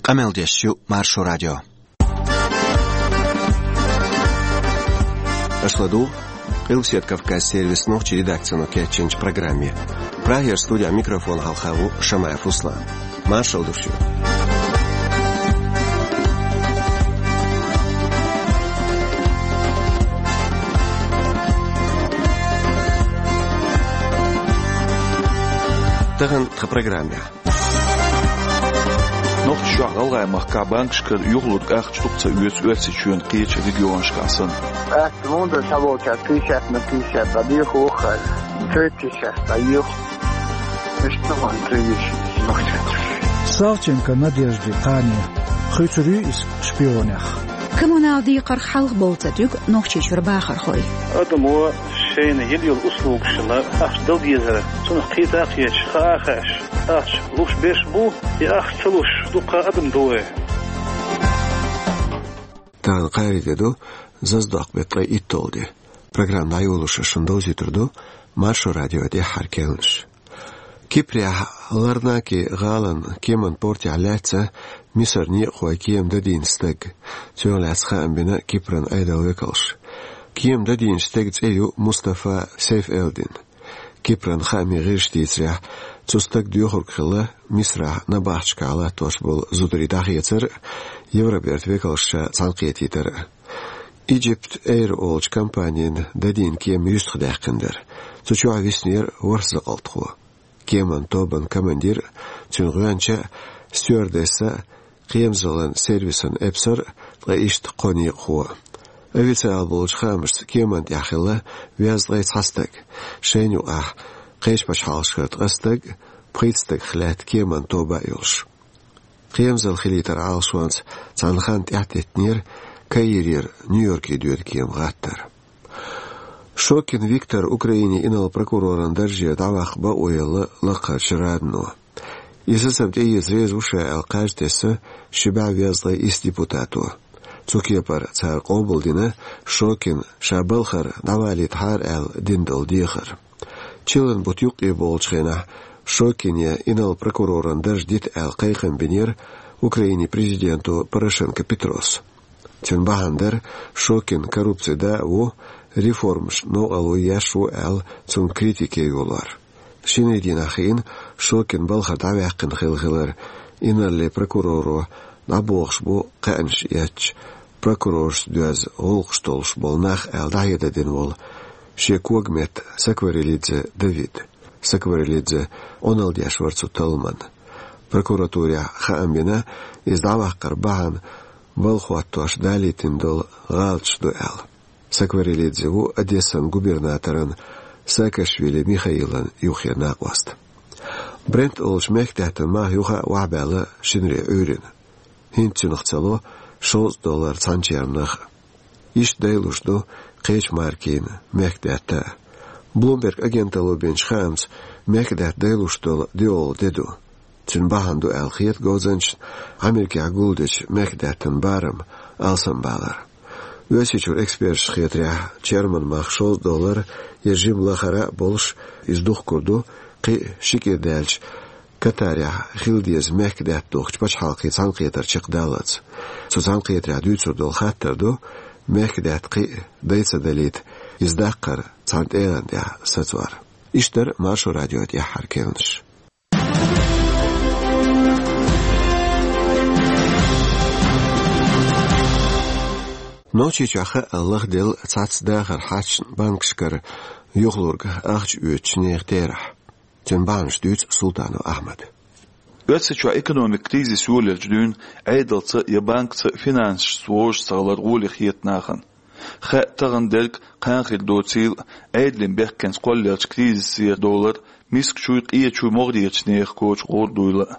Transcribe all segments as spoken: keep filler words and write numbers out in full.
Къамел деш ю Маршо радио. Аша ладугӀу Къилбаседа Кавказан сервисан нохчийн редакцино кечйинчу программе. Прагера студин микрофона хьалха ву Шамаев Руслан. Маршалла ду шуьга. Тахана тхан программехь. Нохчийчохь, ГӀалгӀай махкахь банкашкара юхалург ахча дукха ца оьцу Оьрсийчоьнан кхечу регионашкахь санна. Ас мунда схьаволчаьрца пятьдесят на пятьдесят дӀадоьху, воххар, тридцать шесть дӀайоьху. Иштта ма хилла, нохчий. Савченко Надежда кхане. Хуьйцур ю иза шпионех. Коммунал декхарх хьалха болу ца туьг Нохчийчуьра бахархой. Адамо шайна йина йолу услугашна ахча дала дезара, цунах кхета а кхеташ, хаа а хаьаш, ахча луш берш бу, и ахча ца луш дуккха адам ду вай. Тахана кхаарин де ду, зазадоккху беттан ткъе итталгӀа де. Программа дӀайолош шуна довзуьйтур ду Маршо радион тӀаьххьара керланаш. Кипрехь Ларнаки гӀалин кеманан портехь лаьцна Мисаран некъахойн кема дадийна стаг. Цунах лаьцна хаам бина Кипран Ӏедалан векалша. Кема дадийначу стеган цӀе ю Мустафа Сейф-Элдин. Кипран хаамийн гӀирсаша дийцарехь, цу стага доьхург хилла Мисарахь набахташкахь латтош болу зударий дӀахецар а, Евробертан векалш ша цхьаьнакхетийтар а. Egypt Air олучу компанина дадийна кема юьстахдаьккхина дара. Цу чохь виснера ворхӀ закъалтхо. Кеманан тобанан командир а, цуьнан гӀоьнча а, стюардесса а, кхерамзаллин сервисан эпсар а, ткъа иштта кхо некъахо а. Официалан болчу хаамашца кеманна тӀехь хилла везткъе цхьа стаг. Шайна юкъахь кхечу пачхьалкхашкара ткъа стаг а, пхийтта стагах лаьтта кеманан тоба а йолуш. Кхерамзалла хилийтаран Ӏалашонца цхьана ханна тӀаьхьатеттинера Каирера Нью-Йорке доьду кема гӀаттар. Шокин Виктор Украинин инарла прокуроран даржера дӀаваккха бакъо елла лакхарчу радано. И сацам тӀеэца реза ву ша аьлла кхаж тесна ши бӀе везткъе исс депутато. Цу кепара цара къобалдина Шокин ша балхара дӀавалийтахьара аьлла дина долу дехар. Чиллан бутт юккъе богӀучу хенахь Шокине инарла прокуроран дарж дита аьлла кхайкхам бинера Украинин президенто Порошенко Петрос. Цуьнан бахьана дара Шокин коррупцин да а ву, реформаш новкъарло еш ву аьлла, цунна критика йолор. Шинарин дийнахь хиъна Шокин балхара дӀаваьккхина хилла хилар, инарла прокуроро дӀабохуш бу кхаьънаш эцча, прокуроршца доьзна гӀуллакхаш долуш болу нах аьлла дӀахьедар дина волу шен когаметта Сакварелидзе Давид. Сакварелидзе Ӏуналла деш вара цу талламан. Прокуратурехь хаам бина, иза дӀаваккхаран бахьана балха хӀоттош далийтина долу гӀалаташ ду аьлла. Сакварелидзе ву Одессан губернаторан Саакашвили Михаилан юххера накъост. Брент олучу мехкадаьттан мах юха а охьабаьлла шинаре Ӏуьйрина. ХӀинца цуьнах ца ло шовзткъа доллар цхьана чермнах а. Иштта дайлуш ду кхечу маркийн мехкадаьтта а. Bloomberg агенталло бинчу хаамца, мехкадаьтта дайлуш долу диъолгӀа де ду. Цуьнан бахьана ду аьлла хета говзанчашна Америкехь гулдечу мехкадаьттан барам алсамбалар. Оьрсийчуьра эксперташна хетарехь, черман мах шовзткъа доллар я жима лахара а болуш, иза духкур ду кхин а ши кӀира даьлча Катарехь хила деза мехкадаьтта духкучу пачхьалкхийн цхьаьнакхетар чекхдаллалц. Цу цхьаьнакхетарехь дуьйцур долу хаттар ду, мехкадаьтта кхин а дай ца далийта, иза даккхар цхьана тӀегӀан тӀехь сацор. Иштта дара Маршо радион тӀаьххьара керланаш. Нохчийчохь хаъал лахделла цхьацца дахаран хьашташна банкашкара юхалург ахча оьцучу нехан терахь. Цуьнан бахьанаш дуьйцу Султанов Ахьмада. Оьрсийчохь экономикан кризис йолаелча дуьйна Ӏедалца я банкаца финансашца вовшашца гӀалар гӀоле хета нахана. Хаьа тахана дерг кхана хир доцийла а, Ӏедалан бехкенца кхоллаелча кризисера долар мискачуй, къечуй, могӀарерчу нехан коча гӀур дуйла а.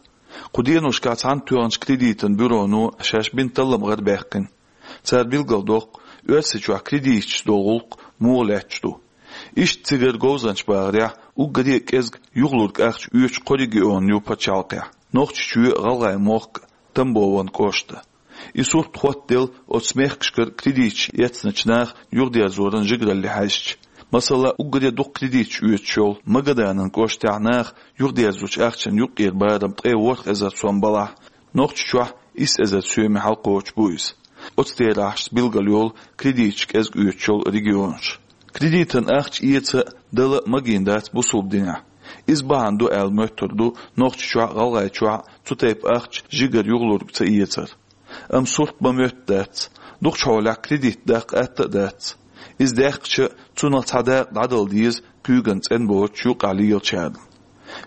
Кху деношкахь цхьаьнатоьхначу кредитан бюроно шаьш бина талламгӀар баьккхина. Цара билгалдоккху, Оьрсийчохь кредиташца долу гӀуллакх муха лаьтташ ду. Иштта цигара говзанчаша бахарехь, уггаре а кӀезиг юхалург ахча оьцуш кхо регион ю пачхьалкхехь: Нохчийчоь, ГӀалгӀай мохк, Тамбован кӀошта. И сурт хоттаделла оцу мехкашкара кредиташ эцначу наха юхадерзоран жигаралле хьаьжча. Масала, уггаре дукха кредиташ оьцуш йолу Магаданан кӀоштехь наха юхадерзочу ахчанан юккъера барам ткъе ворхӀ эзар сом балахь, Нохчийчохь исс эзар соьме хьалкхочуш бу иза. Оцу терахьашца билгалйолу кредиташ кӀезиг оьцуш йолу регионаш. Кредитан ахча эца а, дала а магийна дац бусалба динехь. Иза бахьана ду аьлла моьттур ду Нохчийчохь а, ГӀалгӀайчохь а цу тайпа ахча жигара юхалург ца эцар. Амма сурт бан моьтту дац. Дукхачу хьолехь кредит даккха атта а дац. Иза даьккхича, цунах цхьа дакъа дӀадала деза куьйган цӀена боцуш юкъахь лелачарна.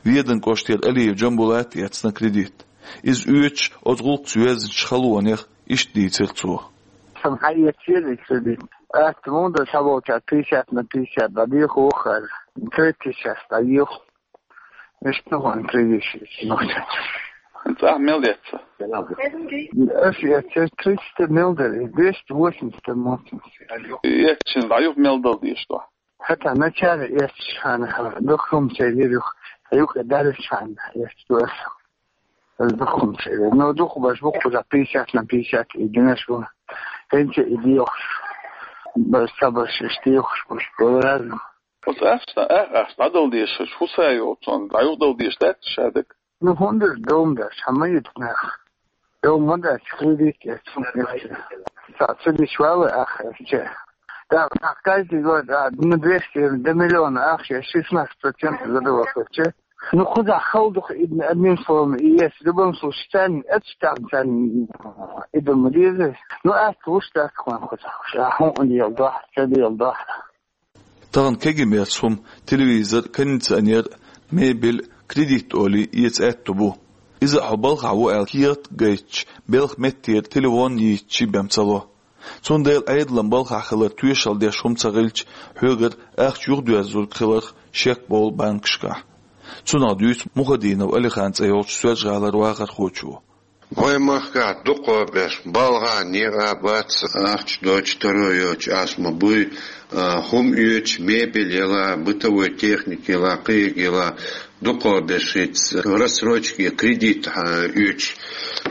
Веданан кӀоштара Алиев Джамбулата эцна кредит. Иза оьцуш, оцу гӀуллакхца йоьзначу халонех иштта дийцира цо. Сан хьаэцча, еза кредит. Атта муха ду, схьаволчара пятьдесят на пятьдесят дӀадоьху вахара. Третий час дӀайоьху. Иштта ван кредит шийтта нохча. ХӀинца ахь мел эцна? Ас эцча, триста мел дара, двести восемьдесят моцнус. Эцча дӀаюха мел дала дезаш ду? ХӀета начале эцча хьан, дукха хӀума ца йира юха, юкъа далча хьан эцча ду ас. Ас дукха хӀума ца йира. Но дукха баш бу кхузахь пятьдесят на пятьдесят и динаш бу. ХӀинца и доьхуш. Баш ца баш, иштта доьхуш бу, бу разный. Оцу ахча, а-, ахча дӀадала дезаш, хӀун са йолу цунна, дӀаюхадала дезаш дац ша дага? Ну, хӀунда дом дац, хьан ма йита нах. Дом ма дац, кредит яц, хӀунда яц. Ца, ца дича вала ахча. Да, да, каждый год, да, на двести, до миллиона ахча, шестнадцать процентов задавал короче. Ну, кхузахь хала ду-кх и, одним словом, и есть. В любом случае, царна, это там, царна, и дома деза. Ну, ас луш дац, хьан кхузахь. Ша хӀун дела дохь, ца дела дохь. Тахана кегий мерза хӀума, телевизор, кондиционер, мебель, кредит олий эца аьтто бу. Иза а хьо балхахь ву аьлла кехат а гайтча, белхан меттера телефон йийцча бен ца ло. Цундела Ӏедалан балхахь хилар тоьшалла деш хӀума ца хилча, хьоьгара ахча юхадоьрзург хиларх шек болу банкашкахь. Цунах дуьйцу Мухадинов Алихан цӀе йолчу Соьлжа-ГӀалара вахархочо. Вайн махкахь дукхахберш балхахь некъа бац, ахча доцуш, таро йоцуш ас ма буй, а, хӀума оьцуш, мебель яла, бытовой техника яла, кхин яла, дукхахберш хӀинца рассрочка я кредит, а, оьцуш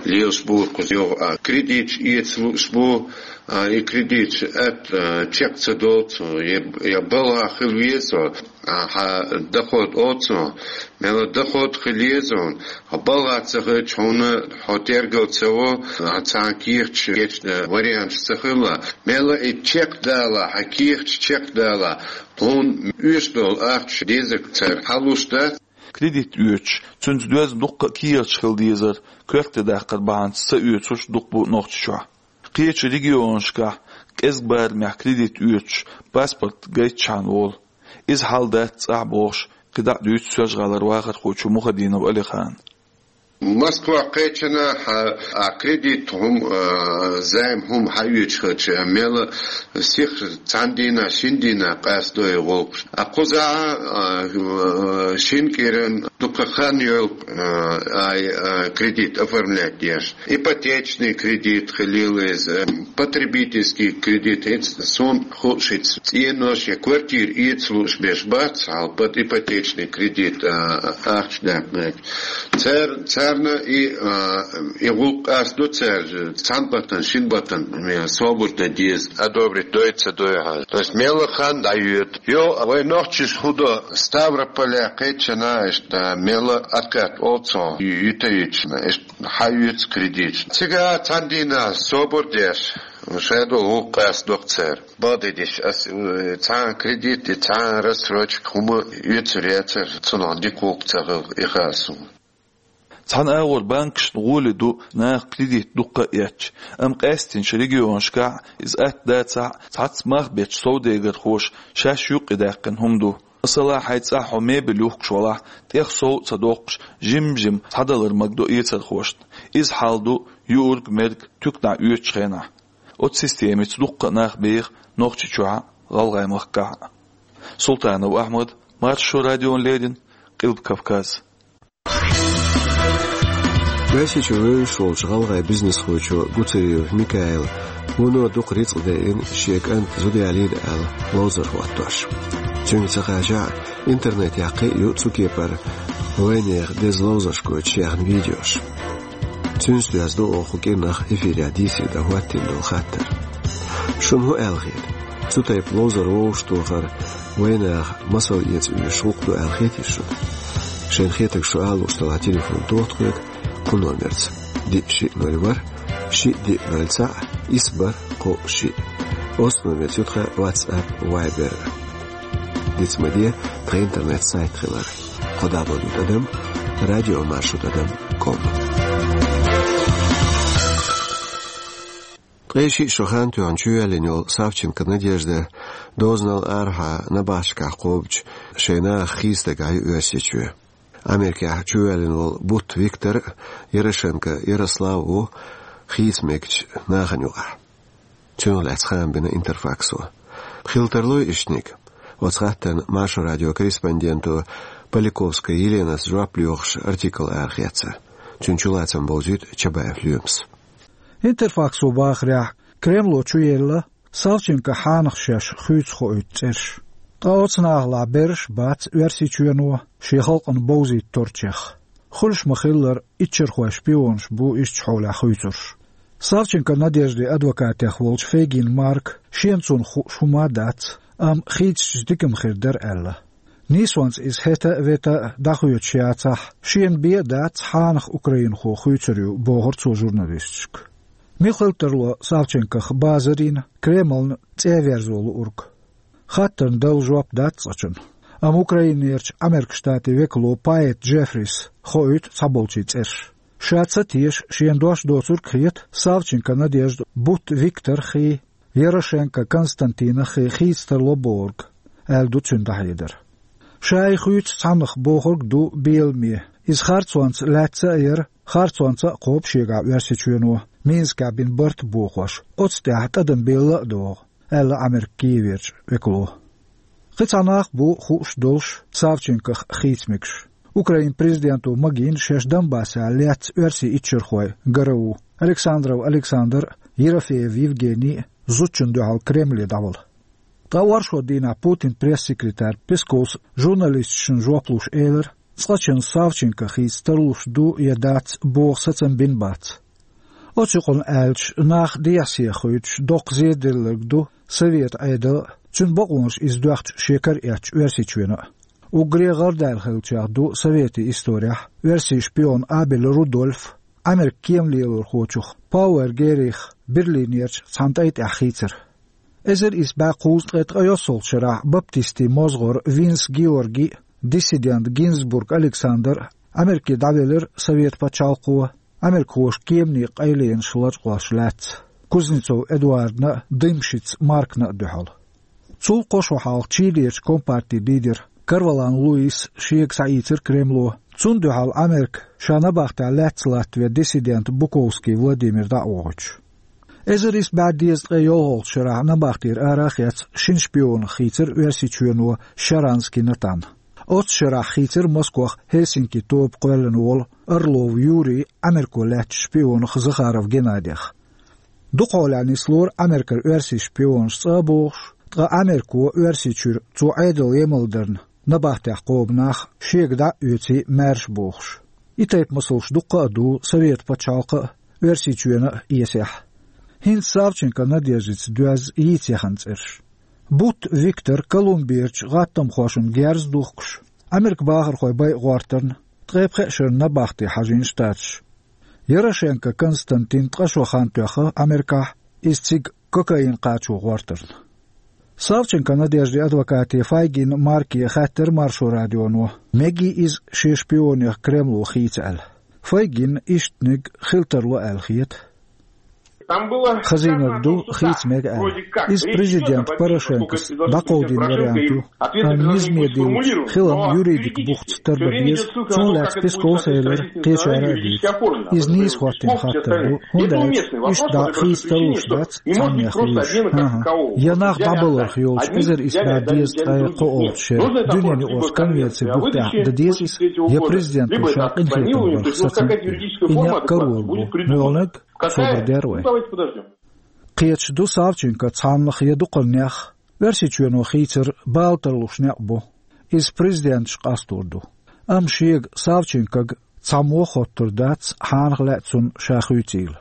лелаш бу кхузахь. А, кредиташ эца лууш бу, а, и кредиташ атта, а, чек ца долу цо, я, я балхахь хила веза, а, хьан доход оцу, мела доход хила еза хьуна, хьо балхахь ца хилча, хьуна хьо тергал ца во, а, цхьана кехаташ, кечна варианташ ца хила. Мела и чек дала, хьан кехаташ чек дала, хьуна оьшуш долу ахча дезарг цара хьалуш дац. Кредит оьцуш, цуьнца доьзна дуккха а кехаташ хила дезар, коьрте даккхар бахьанца ца оьцурш дукха бу Нохчийчохь. Кхечу регионашкахь кӀезиг барамехь кредит оьцуш, паспорт гайтчхьана волу. Иза хьал дац цӀахь бохуш, кхидӀа а дуьйцу Соьлжа-ГӀалара вахархочо Мухадинов Алихана. Москва кхечанахь а кредит хӀума, а, займ хӀума хьаоьцуш хилча, мела сиха цхьана дийнахь, шина дийнахь къастадо и гӀуллакхаш. А кхузахь а, а, шина кӀиран дукха хан йолу, а, ай, а, кредит оформлять деш. Ипотечный кредит хилийла иза, потребительский кредит, хӀинца суна хууш, хӀинца цӀенош я квартира эца лууш берш бац, хьал под ипотечный кредит, а, ахча даккхинарг. Цар-, царна и, а, и гӀуллакх къастадо цара, цхьана баттана, шина баттана, м, собар дан деза, одобрить дой, ца дой хьан. То есть мелла хан дӀайоьду. Йо, вай нохчаша хӀун до, Ставрополехь кхечанахь иштта мелла откат олу цо, ю-, юьтуьйтуш, иштта хьаоьцу кредиташ. Цигахь цхьана дийнахь собар деш, шайн долу гӀуллакх къастадо-кх цара. Бакъдерг дийцича, ас, э, цхьана кредит, цхьана рассрочка хӀума оьцур яцара, цунах дика гӀуллакх ца хилла, и хаьа суна. Цхьана агӀор банкашна гӀоли ду наха кредит дуккха а эцча, амма къаьстинчу регионашкахь иза атта дацахь а, цхьацца мах бечу совдегархоша шаьш юккъе даьккхина хӀума ду. Масала, хьайн цӀахь хьо мебель юхкуш валахь, тӀех сов а ца доккхуш, жим-жима схьадалар магадо эцархошна. Иза хьал ду юург-мерг туьканахь оьцучу хенахь. Оцу системица дуккха а нах беха Нохчийчохь а, ГӀалгӀай махкахь а. Султанов Ахьмад, Маршо радиона леррина, Къилба Кавказ. Оьрсийчуьра вевзаш волчу гӀалгӀай бизнесхочо Гуцериев Микаила вуно дукха рицкъ дайина шен кӀант зуда ялийна аьлла ловзар хӀоттош. Цуьнга ца хачахь а, интернетехь кхин а ю цу кепара вайнехан деза ловзарш гойтуш яьхна видеош. Цуьнца доьзна ду оха кху кӀирнах эфирехь дийцаре дан хӀоттийна долу хаттар. Шуна хӀун аьлла хета? Цу тайпа ловзар вовшахтохар вайнаха масал эца оьшуш гӀуллакх ду аьлла хетий шуна? Шайна хетарг шу ала лууш делахь, телефон тоха тхоьга кху номерца: Диъ шиъ ноль ворхӀ, шиъ диъ ноль цхьаъ, исс бархӀ кхоъ шиъ. Оцу номерца ю тхан WhatsApp, Viber. Диц ма де тхан интернет-сайт хилар: кхо дабл ю тӀадам радио маршо тӀадам ком. Ткъе шиъ шо хан тоьхна чувоьллина йолу Савченко Надежда дозанал арахьа набахташкахь кхобучу шайн нахах хийцадерг ю Оьрсийчоь. Америкехь чувоьллина волу Бутт Виктор а, Ярошенко Ярослав а ву хийца мегачу нахана юкъахь. Цунах лаьцна хаам бина Интерфаксо. Хила тарлой иштаниг? Оцу хаттарна Маршо радион корреспонденто Поляковская Еленас жоп лоьхуш артикл арахецна. Цуьнан чулацам бовзуьйту Чабаев Лоьмас. Интерфаксо бахарехь, Кремло чуелла Савченкон хьанах шаьш хуьйцу хоуьйту цӀераш. Ткъа оцу нахалахь берриш а бац Оьрсийчоьно шен халкъана бовзийта торчех. Хуьлуш ма-хиллара, иччархойн шпионаш бу иштта хьолехь хуьйцурш. Савченко Надеждин адвокатех волчу Фейгин Марка шена цунах хууш хӀума а дац, амма хийцича дика ма хир дара аьлла. Нийсонца иза хӀета а, вета а дӀахоьцуш яцахь, шена бен а дац хьанах украинхо хуьйцур ю, бохура цо журналисташка. Мила хила тарло Савченкох базар йина, Кремлна цӀе а верзо луург? Хаттарна дала жоп дац цкъачунна. Амма Украинерчу Американ Штатийн векало Пайет Джеффрис хоуьйту цхьаболчийн цӀераш. Ша ца теша, шена дош доцург а хета Савченко Надежда, Бутт Виктор хи, Ярошенко Константин хи хийца тарло бохург, аьлла ду цуьнан дӀахьедар. Ша и хуьйцу цхьаннах бохург ду беламе. Иза харцонца лаьцна а яра, харцонца а кхобу шегахь Оьрсийчоьно, Минскехь бина барт а бохош, оцу тӀехь тӀадам белла а догӀу, аьлла Американ Киеверчу векало. Кхин цхьа нах а бу хууш долуш Савченкох хийца мегаш. Украинан президенто магийна шаьш Донбассехь лецна оьрсийн иччархой ГРУ, Александров Александр а, Ерофеев Евгений а зудчунна дуьхьал Кремле дӀавала. Ткъа оршот дийнахь Путинан пресс-секретарь Песковс журналисташна жоп луш элира, цкъачунна Савченко хийца тарлуш ду я дац боху сацам бина бац. Оцу юкъана аьлча, нах дехьа-сехьа хуьйцуш доккха зеделларг ду Советан Ӏедал а, цуьнан бакъонаш иза доьхча шен кара эцча Оьрсийчоьно а. Уггаре гӀардаьлла хиллачех ду советийн исторехь оьрсийн шпион Абель Рудольф, Американ кема лелорхочух Пауэр Геррих Берлинерчу цхьана тӀай тӀехь хийцар. Эзар исс бӀе кхузткъе ткъайоьссалгӀачу шарахь баптистийн мозгӀар Винс Георгий а, диссидент Гинзбург Александр а Америке дӀавелира Совет пачхьалкхо, америкахоша кеманийн къайленаш лачкъош лаьцна, Кузнецов Эдуардна а, Дымшиц Маркна а дуьхьал. Цул кхо шо хьалха Чилерчу компартин лидер Корвалан Луис шега схьаийцира Кремло, цунна дуьхьал Америка ша набахтехь лаьцна латтаве диссидент Буковский Владимир дӀа а вохуьйтуш. Эзар исс бӀе дезткъе йолхалгӀачу шарахь набахтера ара а хецна, шина шпионах хийцира Оьрсийчоьно Шаранский Натан. Оццу шарахь хийцира Москох Хельсинки тоба кхоьллина волу Орлов Юрий Америко лаьцначу шпионах Захаров Геннадех. Дукха хьолехь нислора Америкара оьрсийн шпионаш цӀа а бохуш, ткъа Америко Оьрсийчуьра цо Ӏедал емал дарна набахтехь кхобу нах шега дӀа а оьций маьрша бохуш. И тайпа масалш дуккха а ду Совет пачхьалкха а, Оьрсийчоьно а эсехь. ХӀинца Савченко Надеждица доьзна йийца яхана цӀераш. Бутт Виктор Колумберчу гӀаттамхошна герз а духкуш, Америкин бахархой байа гӀортарна, ткъе пхеа шарна набахте хьажийна Штаташ. Ярошенко Константин ткъа шо хан тоьхна Америкахь, иза цига кокаин кхачо гӀортарна. Савченко Надеждин адвокате Файгин Марке хаьттира Маршо радионо, мегий иза шен шпионех Кремло хийца аьлла. Файгинна иштаниг хила тарло аьлла хета. Хазийнарг ду, хийца мега аьлла. Иза президент Порошенкос дӀакховдийна вариант ю, амма низаме диллинчу хилам юридик бухца тарло деза, цунна лаьцна Песковс элира, кхечара а дийца. Иза нийса хӀоттийна хаттар ду, хӀунда аьлча иштта дӀа хийца тарлуш дац цхьаннех вуьйш. ХӀан-хӀа. Я нах дӀабаларх йолчу эзар исс бӀе дезткъе кхоалгӀачу шеран дуьненан юкъарчу конвенцин бух тӀехь дан деза иза, я президенто ша къинхетам барх сацам а бина. И некъ карор бу, муьлханиг собар дер вай. Кхеташ ду Савченко цхьаннах я дукхарнех, Оьрсийчоьно хийцар бала тарлуш некъ бу. Иза президенташ къастор ду. Амма шега Савченкога цхьаммо а хоттур дац, хьанах лаьа цунна ша хуьйцийла.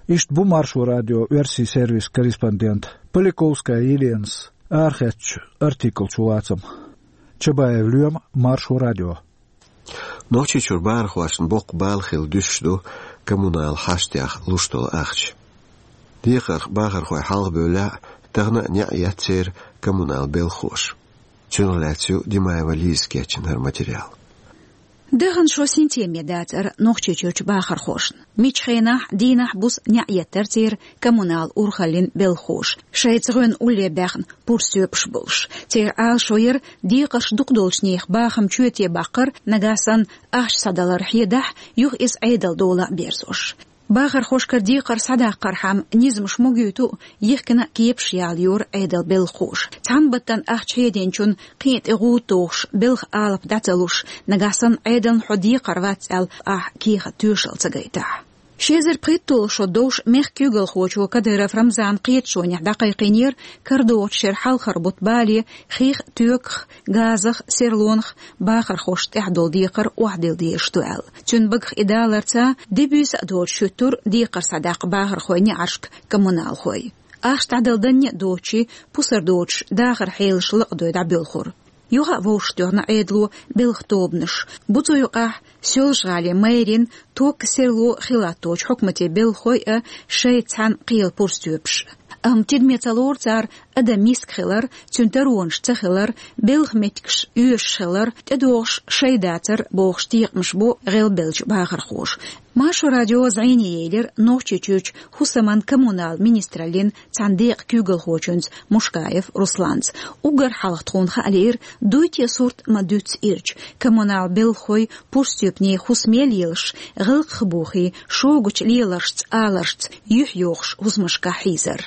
Иштта бу Маршо радион оьрсийн сервисан корреспондент Поляковская Еленас арахецначу артиклан чулацам. Чабаев Лоьма, Маршо радио. Нохчийчуьра бахархошна боккха бала хилла дуьсуш ду коммунал хьаштех луш долу ахча. Декхарх бахархой хьалха бевллехь, тахана а неӀ еттера коммунал белхахоша. Цунах лаьцна ю Димаева Лиза кечйина хӀара материал. Дахана шо синтеме дацара Нохчийчуьрчу бахархошна. Миччу хенахь, дийнахь-буса неӀ еттара церан коммунал урхаллин белхахоша, шайца гӀоьнна улле баьхна пурстоьпаш болуш. Церан Ӏалашо яра декхарш дукха долчу нехан бахам чоьте баккхар, нагахь санна ахча схьадалар хьедахь, юха иза Ӏедалан дола а берзош. Бахархошкара декхар схьадаккхархьама низамаш могуьйту а, йихкина а кепаш ялайора Ӏедалан белхахоша. Цхьана баттана ахча хьединчунна кхин а тӀе гӀуда тухуш, белхан алапа дӀа ца луш, нагахь санна Ӏедална хьо декхар вац аьлла, ахь кехат тоьшалла ца гайтахь. Ши эзар пхийтталгӀа шо довш мехкан куьйгалхочо Кадыров Рамзана кхеташонехь дӀакхайкхийнера, карадогӀучу шеран хьалхара бутт бале хих а, тоьках а, газах а, серлонах а бахархошна тӀехь долу декхар охьадилла дезаш ду аьлла. Цуьнан багах и даларца, де-буьйса а доцуш хӀуьттура декхар схьадаккха бахархойн неӀаршка коммуналхой. Ахча дӀадала данне а доцуш, пусар доцуш дахаран хьелаш лакхадой дӀабоьлхура. Юха а вовшахтоьхна Ӏедало белхан тобанаш. Бу цу юкъахь Соьлжа-ГӀалин мэрин ток а, серло а хилатточу хьукматийн белхахой а, шайца цхьаьна кхелан пурстоьпаш а. Амма тидаме ца лору цара адам миска хилар, цуьнан таронаш ца хилар, белхан меттигаш оьшуш хилар, тӀедогӀуш шай дацар бохуш текхамаш бо гӀелбеллачу бахархоша. Маршо радио зӀене елира Нохчийчуьрчу хӀусаман-коммунал министраллин цхьана декъан куьйгалхочуьнца Мушкаев Русланца. Уггар хьалха тхуна хаа лиира, дуй те сурт ма дуьйцу ирча, коммунал белхахой пурстоьпане хӀусаме лелаш, гӀиллакхах бухий, шогачу леларшца, аларшца юьхь йохуш хӀусамашкахь хьийзар.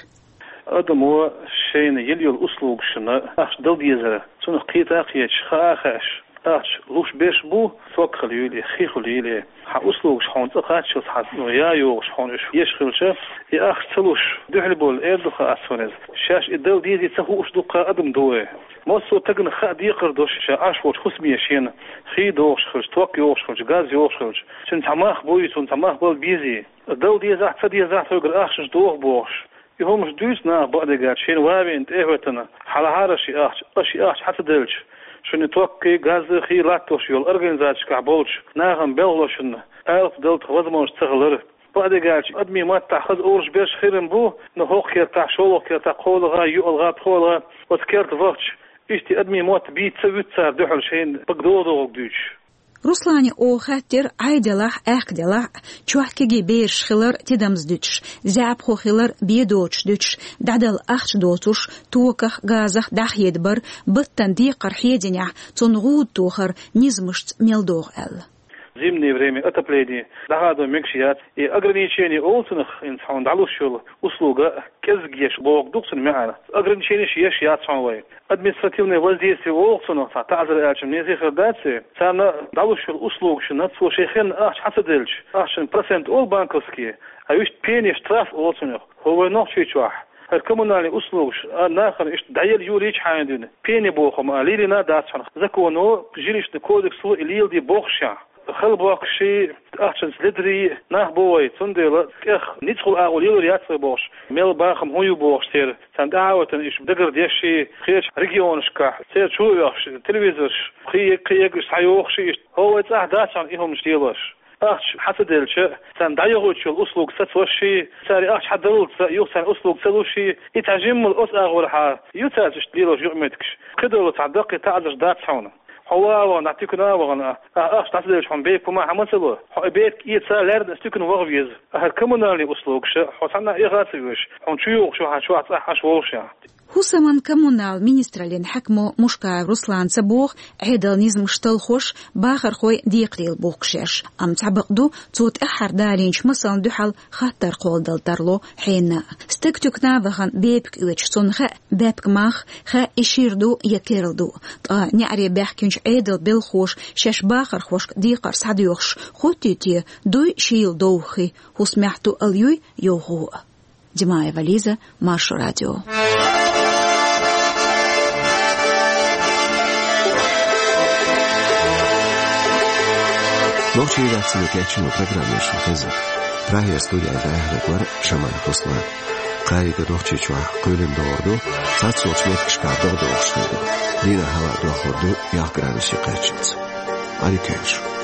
Адамо шайна йила йолу услугашна ахча дала дезара, цунах кхета а кхеташ, хаа а хаьаш, ахча луш берш бу, ток хила йийла, хи хила йийла. Хьан услугаш хьуна цӀа кхаччалц хьан, ну, я йогӀуш хьуна уьш еш хилча, и ахча ца луш дуьхьал болу эр ду хаа цунна иза. Шаьш и дала дезий ца хууш дуккха адам ду вай. Массо а тагана хаа декхар долуш ша Ӏаш волчу хӀусаме шена хи догӀуш хилча, ток йогӀуш хилча, газ йогӀуш хилча, цуьнан цхьа мах буй, цунна цхьа мах бала безий. Дала дезахь, ца дезахь, тхоьгара ахчанаш доху бохуш. И хӀуманаш дуьйцу наха бакъдерг аьлча, шайна ван веана тӀе а хӀоьттина, хьалахьара ши ахча, аш ши ахча хьан ца делча, шуна токкхий, газзахий латтош йолу организацешкахь болчу нахана белхалошна алапа дала тхан возможность ца хилар. Бакъдерг аьлча, адамийн маттахь хаза олуш берш хир а бу, но хӀокху кертахь, шолгӀа кертахь, кхоалгӀа, йоьалгӀа, пхоьалгӀа, оцу керта вахча, иштта адамийн мотт бийца ца вуьту цара дуьхьал шайна бага догӀу-догӀург дуьйцуш. Руслане оха хаьттира, Ӏай делахь а, аьхка делахь а, чохь кегий бераш хилар тидамза дуьтуш, заьӀапхо хилар бен доцуш дуьтуш, дӀадала ахча доцуш, токах, газах дӀахьедабар, баттана декхар хьединехь, цунна гӀуда тохар низамашца мел догӀу аьлла. Зимнее время отопление дӀахадо мегаш яц. И ограничение олу цунах, хӀинца хьуна дӀалуш йолу услуга кӀезиг еш бохург ду-кх цуьнан маьӀна. Ограниченеш еш яц хьуна вай. Административное воздействие олу-кх цунах, цхьа таӀзар аьлча, мезий хир дац и. Царна дӀалуш йолу услугашна цо шайн хенна ахча хьан ца делча, ахчанан процент олу банковский, а вуьшта пени, штраф олу цунах. ХӀо вай Нохчийчохь хӀара коммунальный услугаш а нахана иштта дӀаяла йолийча хьайна дуьйна, пени боху хӀума а лелийна а дац хьуна. Законо, жилищный кодексо и леладе бохушехь, хала бохкуш, ахчанца ледарий нах бу вай, цундела тӀех ницкъала агӀо лелор яц вай бохуш, мел бахам хӀун ю бохуш, церан царна тӀаьхьа а ватана, иштта дагардеш, кхечу регионашкахь церан чу а вехаш, телевизорш, кхин ерг, кхин ерг иштта схьайохуш, иштта. ХӀо вай цӀахь дац хьуна и хӀуманаш лелош. Ахча хьан ца делча, царна дӀайохуьйтуш йолу услуга сацош, цара ахча хьан даллалц, юха царна услуга ца луш, и цхьа жиммал оцу агӀор хьан ю цаьрца иштта лелош юкъаметтигаш. Кхидолу цхьа даккхий таӀзарш дац хьуна. Хьо ван а вахана, дӀа туькана а вахана, ахча дӀа ца делча хьуна бепиг ма хьан ма ца ло. Хьо и бепиг эца лаьрна аса туькана ваха веза. ХӀара коммунальный услугаш хьо цхьанна а эха а ца веш, хьуна чу йогӀуш ю хьан чохь цӀахь Ӏаш волушехь. ХӀусаман-коммунал министраллин хьаькамо Мушкаев Руслана ца боху, Ӏедалан низамаш талхош, бахархой декхарийлахь бохкуш еш. Амма цхьа бакъ ду, цо тӀаьххьара далийначу масална дуьхьал хаттар кхолладала тарло хьенан а. Стаг туькана а вахана бепиг оьцуш, цунна хаьа бепиг мах, хаьа и шира ду я керла ду. Ткъа неӀаре баьхкинчу Ӏедалан белхахоша шаьш бахархошка декхар схьадоьхуш хӀоттий те, дуй шийла довхий, хӀусамехь туъал юй йовхо а. Димаева Лиза, Маршо радио. Нохчийн редакцино кечйина программа шуна хезира. Прагера студехь дӀаяьхьнарг вара Шамаев Руслан. Кхайкха Нохчийчохь кхоьлина догӀур ду, цхьацца йолчу меттигашкахь догӀа догӀуш хир ду. Дийнахь хӀаваъ дохлур ду ялх градусе кхаччалц. Ӏадика йойла шун.